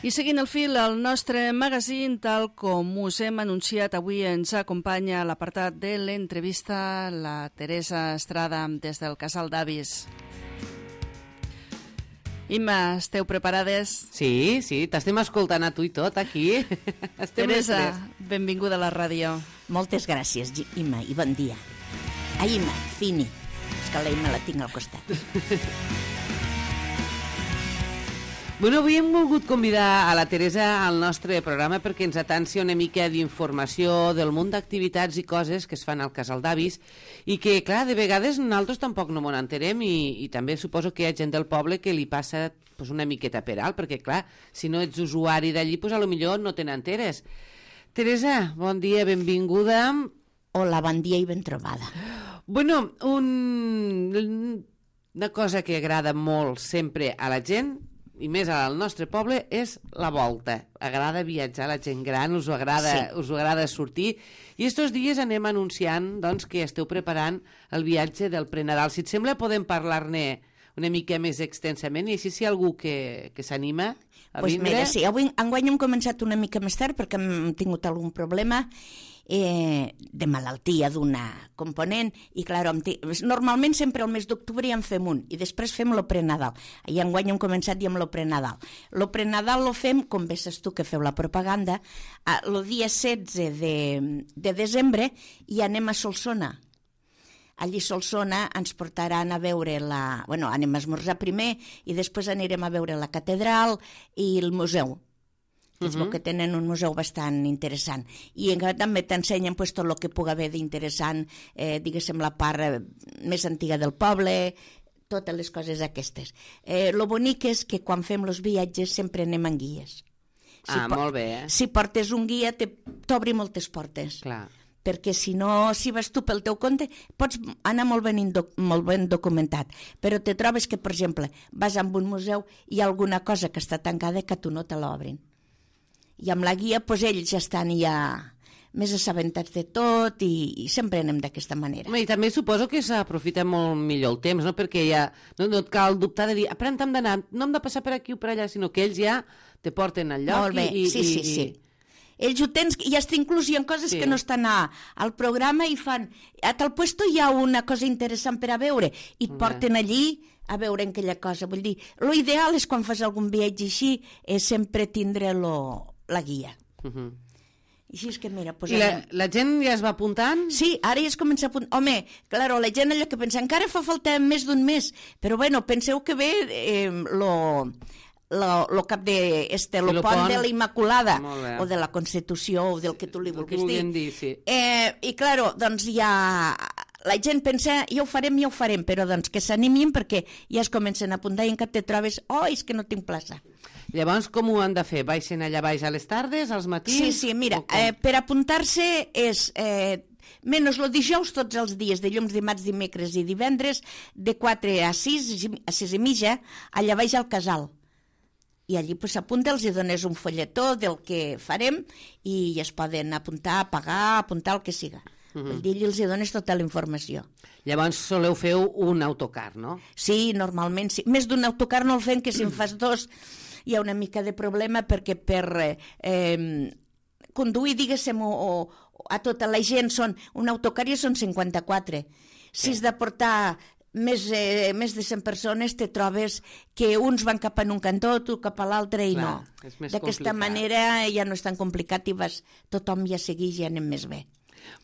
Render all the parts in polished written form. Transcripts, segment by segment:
I seguint el fil, el nostre magazín, tal com us hem anunciat, avui ens acompanya a l'apartat de l'entrevista la Teresa Estrada des del Casal d'Avis. Imma, esteu preparades? Sí, t'estem escoltant a tu i tot aquí. Teresa, benvinguda a la ràdio. Moltes gràcies, Imma, i bon dia. Ai, Imma, Fini. És que la Imma la tinc al costat. Bueno, avui hem volgut convidar a la Teresa al nostre programa perquè ens atansi una mica d'informació del munt d'activitats i coses que es fan al Casal d'Avis i que, clar, de vegades nosaltres tampoc no m'ho entenem i també suposo que hi ha gent del poble que li passa pues, una miqueta per alt, perquè, clar, si no ets usuari d'allí, pues, a lo millor no te n'enteres. Teresa, bon dia, benvinguda. Hola, bon dia i ben trobada. Bueno, una cosa que agrada molt sempre a la gent i més al nostre poble és la volta. Agrada viatjar, la gent gran, us ho agrada sortir. I estos dies anem anunciant doncs, que esteu preparant el viatge del Prenadal. Si et sembla, podem parlar-ne una mica més extensament i així si hi ha algú que s'anima a vindre... Mira, sí, enguany hem començat una mica més tard perquè hem tingut algun problema de malaltia d'una component i clar, normalment sempre el mes d'octubre ja en fem un i després fem lo Prenadal i enguany hem començat i amb lo Prenadal. Lo Prenadal lo fem, com ves tu que feu la propaganda, el dia 16 de desembre i anem a Solsona. Allí a Solsona ens portaran a veure anem a esmorzar primer i després anirem a veure la catedral i el museu. És que tenen un museu bastant interessant. I també t'ensenyen tot el que pugui haver d'interessant, diguéssim, la part més antiga del poble, totes les coses aquestes. Lo bonic és que quan fem els viatges sempre anem amb guies. Molt bé. Si portes un guia t'obri moltes portes. Clar. Perquè si no, si vas tu pel teu compte, pots anar molt ben documentat, però te trobes que, per exemple, vas a un museu i hi ha alguna cosa que està tancada que tu no te l'obrin. I amb la guia, doncs ells ja estan més assabentats de tot i sempre anem d'aquesta manera. I també suposo que s'aprofita molt millor el temps, no? Perquè ja no et cal dubtar de dir, per on hem d'anar, no hem de passar per aquí o per allà, sinó que ells ja te porten al lloc. Molt bé, sí. Ells ho tens, i hasta inclús hi ha coses que no estan al programa i fan, a tal puesto hi ha una cosa interessant per a veure, i et porten allí a veure aquella cosa. Vull dir, lo ideal és quan fas algun viatge així, és sempre tindre la guia. I així és que mira... I la gent ja es va apuntant? Sí, ara ja es comença a apuntar. Home, claro, la gent allò que pensa, encara fa falta més d'un mes, però bueno, penseu que ve lo cap de lo pont de la Immaculada o de la Constitució o del que tu li vulguis dir. Sí. I claro, doncs ja la gent pensa, ja ho farem, però doncs que s'animin perquè ja es comencen a apuntar i encara te trobes, és que no tinc plaça. Llavors, com ho han de fer? Baixen allà baix a les tardes, als matins? Sí, mira, per apuntar-se és... menys el dijous, tots els dies, dilluns, dimarts, dimecres i divendres, de 4 a 6 i mitja, allà baix al casal. I allí s'apunta, els dones un folletó del que farem i es poden apuntar, pagar, apuntar el que siga. Vull dir, els dones tota la informació. Llavors soleu fer un autocar, no? Sí, normalment sí. Més d'un autocar no el fem, que si en fas dos hi ha una mica de problema perquè per conduir, diguéssim, a tota la gent un autocar ja són 54. Si has de portar més de 100 persones te trobes que uns van cap en un cantó, tu cap a l'altre i no. D'aquesta manera ja no és tan complicat i tothom ja segueix i anem més bé.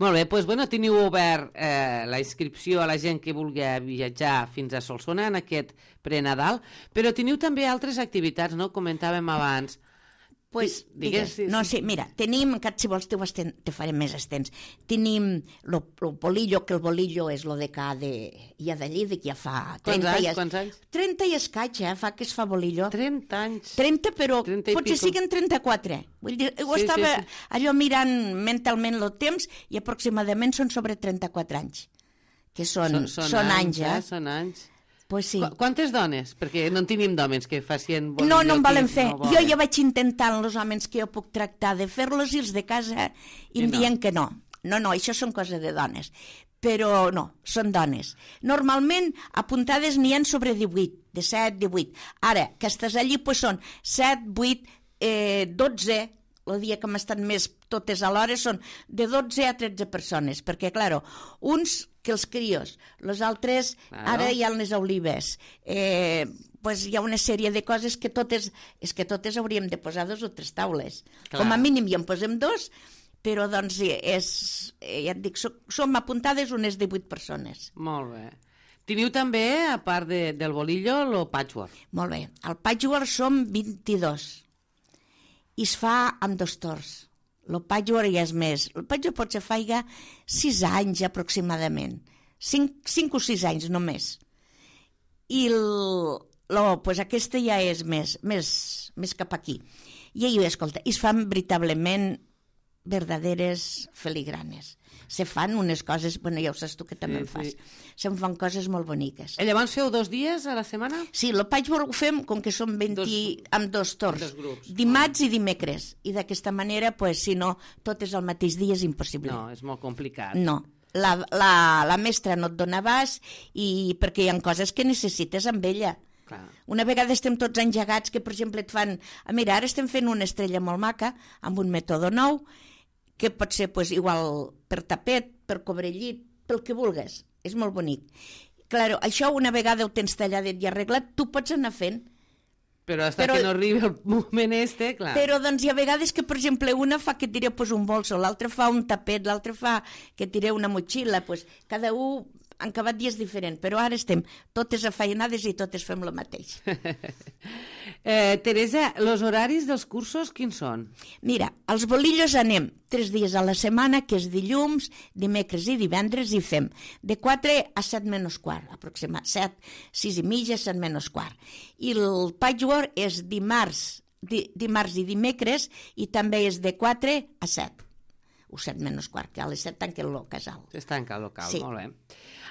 Molt bé, doncs teniu obert la inscripció a la gent que vulgui viatjar fins a Solsona en aquest Prenadal, però teniu també altres activitats, no? Comentàvem abans. Digues. No, sí, mira, tenim, si vols te faré més extens, tenim el bolillo, que el bolillo és lo de ja d'allí, ja fa 30 anys. Quants anys? 30 i escaig, fa que es fa bolillo. 30 anys. 30, però potser siguin 34. Vull dir, ho estava allò mirant mentalment el temps i aproximadament són sobre 34 anys. Que són anys, Són anys. Pues sí. Quantes dones? Perquè no en tenim d'homes que facin... No en volen fer. Jo ja vaig intentar amb els homes que jo puc tractar de fer-los i els de casa i em diuen que no. No, això són coses de dones. Però no, són dones. Normalment apuntades n'hi ha sobre 18, de 7, 18. Ara, que estàs allí, doncs són 7, 8, 12, el dia que hem estat més totes alhora, són de 12 a 13 persones, perquè, clar, uns que els crios, els altres ara hi ha les olives, pues hi ha una sèrie de coses que totes hauríem de posar 2 o 3 taules. Clar. Com a mínim ja en posem 2, però doncs ja et dic, som apuntades unes 18 persones. Molt bé. Teniu també, a part del bolillo, el patchwork. Molt bé. El patchwork som 22 i es fa amb 2 torns. El patchwork ja és més. El patchwork potser faiga 6 anys aproximadament. 5 o 6 anys només. I pues aquesta ja és més cap aquí. I escolta, es fan veritablement verdaderes filigranes. Se fan unes coses, bueno, ja ho saps tu que també en fas. Se'n fan coses molt boniques. I llavors feu 2 dies a la setmana? Sí, el patchwork ho fem com que som 20 amb 2 torns. Dimarts i dimecres. I d'aquesta manera, pues, si no, tot és el mateix dia, és impossible. No, és molt complicat. No. La mestra no et dona abast perquè hi ha coses que necessites amb ella. Clar. Una vegada estem tots engegats que, per exemple, et fan... Mira, ara estem fent una estrella molt maca amb un mètode nou que pot ser pues, igual per tapet, per cobrellit, pel que vulguis. És molt bonic. Claro, això una vegada ho tens talladet i arreglat, tu pots anar fent. Però que no arribi el moment clar. Però doncs hi ha vegades que, per exemple, una fa que tireu pues, un bolso, l'altra fa un tapet, l'altra fa que tireu una motxilla, pues, cada un han acabat dies diferents, però ara estem totes afeinades i totes fem el mateix. Teresa, els horaris dels cursos quins són? Mira, als bolillos anem 3 dies a la setmana, que és dilluns, dimecres i divendres, i fem de 4 a 7 menys quart, aproximadament 7, 6 i mitja, 7 menys quart. I el patchwork és dimarts i dimecres, i també és de 4 a 7. O 7 menys quart, que a les 7 tanca el casal. Es tanca el local, sí. Molt bé.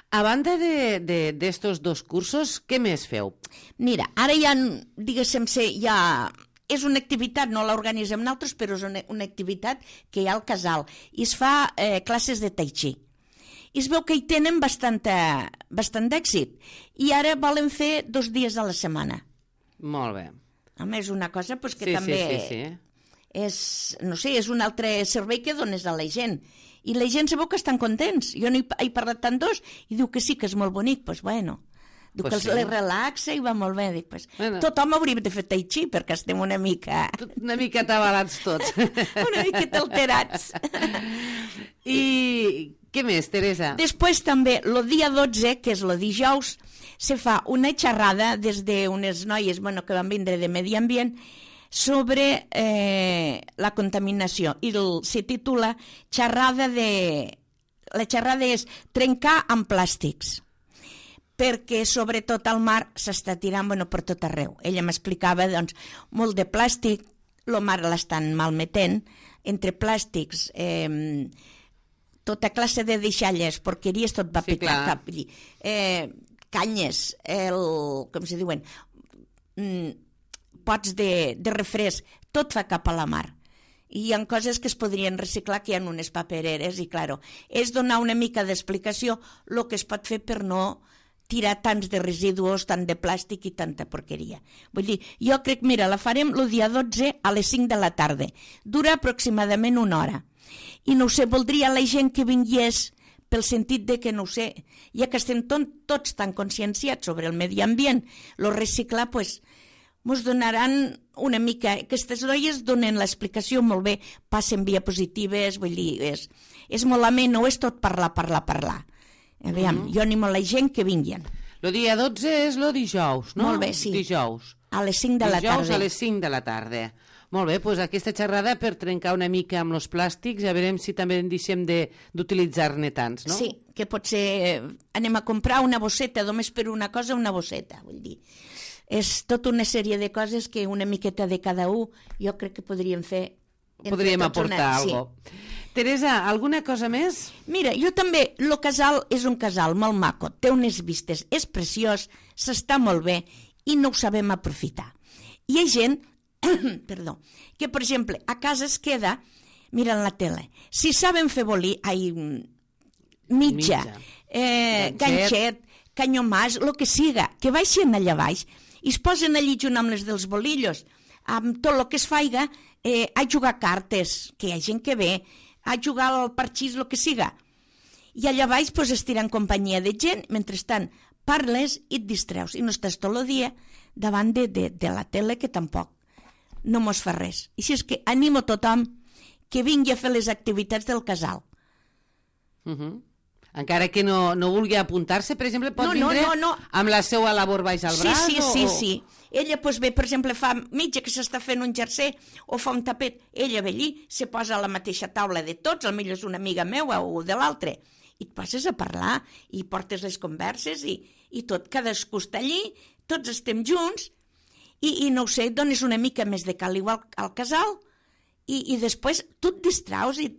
A banda d'estos 2 cursos, què més feu? Mira, ara ja, diguéssim, és una activitat, no l'organitzem nosaltres, però és una activitat que hi ha al casal. I es fa classes de tai chi. I es veu que hi tenen bastant d'èxit. I ara volen fer 2 dies a la setmana. Molt bé. A més, una cosa pues, que sí, també sí. És un altre servei que dones a la gent. I la gent sabeu que estan contents. Jo no he parlat tant d'os i diu que sí, que és molt bonic. Doncs bueno, diu que les relaxa i va molt bé. Dic, tothom hauria de fer tai chi perquè estem una mica... Una mica atabalats tots. Una miqueta alterats. I què més, Teresa? Després també, el dia 12, que és el dijous, se fa una xerrada des d'unes noies que van vindre de Medi Ambient sobre la contaminació i se titula la xerrada és trencar amb plàstics, perquè sobretot al mar s'està tirant per tot arreu. Ella m'explicava doncs, molt de plàstic, el mar l'estan malmetent, entre plàstics, tota classe de deixalles, porqueries, tot va picar, canyes, com se diuen, pots de refresc, tot fa cap a la mar. I hi ha coses que es podrien reciclar, que hi ha unes papereres, i claro, és donar una mica d'explicació el que es pot fer per no tirar tants de residus, tant de plàstic i tanta porqueria. Vull dir, jo crec, mira, la farem el dia 12 a les 5 de la tarda. Dura aproximadament 1 hora. I no ho sé, voldria la gent que vingués pel sentit de que, no ho sé, ja que estem tots tan conscienciats sobre el medi ambient, el reciclar, doncs, ens donaran una mica... Aquestes noies donen l'explicació molt bé, passen diapositives, vull dir, és molt amè, no és tot parlar. Aviam, jo animo la gent que vinguin. El dia 12 és el dijous, no? Molt bé, sí. Dijous. A les 5 de la tarda. Dijous a les 5 de la tarda. Molt bé, doncs aquesta xerrada per trencar una mica amb els plàstics, ja veurem si també en deixem d'utilitzar-ne tants, no? Sí, que potser anem a comprar una bosseta, només per una cosa, una bosseta, vull dir. És tota una sèrie de coses que una miqueta de cada un jo crec que podríem fer. Podríem aportar alguna cosa. Sí. Teresa, alguna cosa més? Mira, jo també, el casal és un casal molt maco, té unes vistes, és preciós, s'està molt bé i no ho sabem aprofitar. Hi ha gent, perdó, que per exemple a casa es queda mirant la tele. Si saben fer mitja, ganxet, canyomàs, el que siga, que baixen allà baix i es posen allí junt amb les dels bolillos amb tot el que es faiga, a jugar cartes, que hi ha gent que ve, a jugar al parxís, el que siga. I allà baix pues, estiran companyia de gent, mentrestant parles i et distreus, i no estàs tot el dia davant de la tele, que tampoc no mos fa res. I si és que animo tothom que vingui a fer les activitats del casal. Encara que no vulgui apuntar-se, per exemple, pot vindre amb la seva labor baix al braç? Sí. Ella pues, ve, per exemple, fa mitja que s'està fent un jersei o fa un tapet, ella ve allí, se posa a la mateixa taula de tots, potser és una amiga meua o de l'altre, i et passes a parlar i portes les converses i tot, cadascú està allí, tots estem junts i no ho sé, dones una mica més de caliu al casal i després tu et distraus i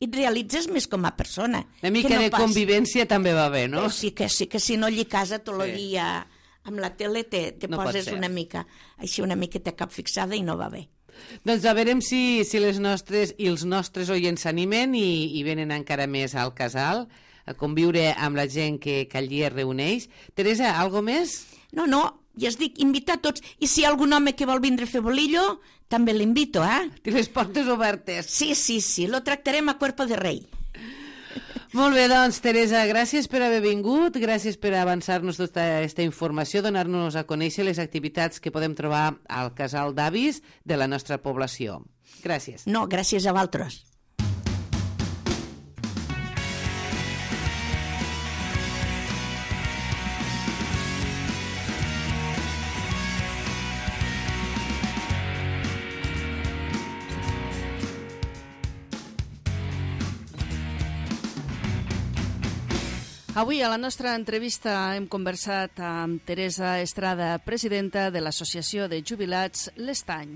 et realitzes més com a persona. Una mica de convivència també va bé, no? Sí, que si no allí a casa tot el dia amb la tele te poses una mica, així una miqueta cap fixada i no va bé. Doncs a veurem si les nostres i els nostres oients s'animen i venen encara més al casal a conviure amb la gent que allí es reuneix. Teresa, algo més? No, ja es dic, invitar tots. I si hi ha algun home que vol vindre a fer bolillo, també l'invito, Té les portes obertes. Sí, lo tractarem a cuerpo de rei. Molt bé, doncs, Teresa, gràcies per haver vingut, gràcies per avançar-nos tota aquesta informació, donar-nos a conèixer les activitats que podem trobar al casal d'avis de la nostra població. Gràcies. No, gràcies a vosaltres. Avui a la nostra entrevista hem conversat amb Teresa Estrada, presidenta de l'Associació de Jubilats L'Estany.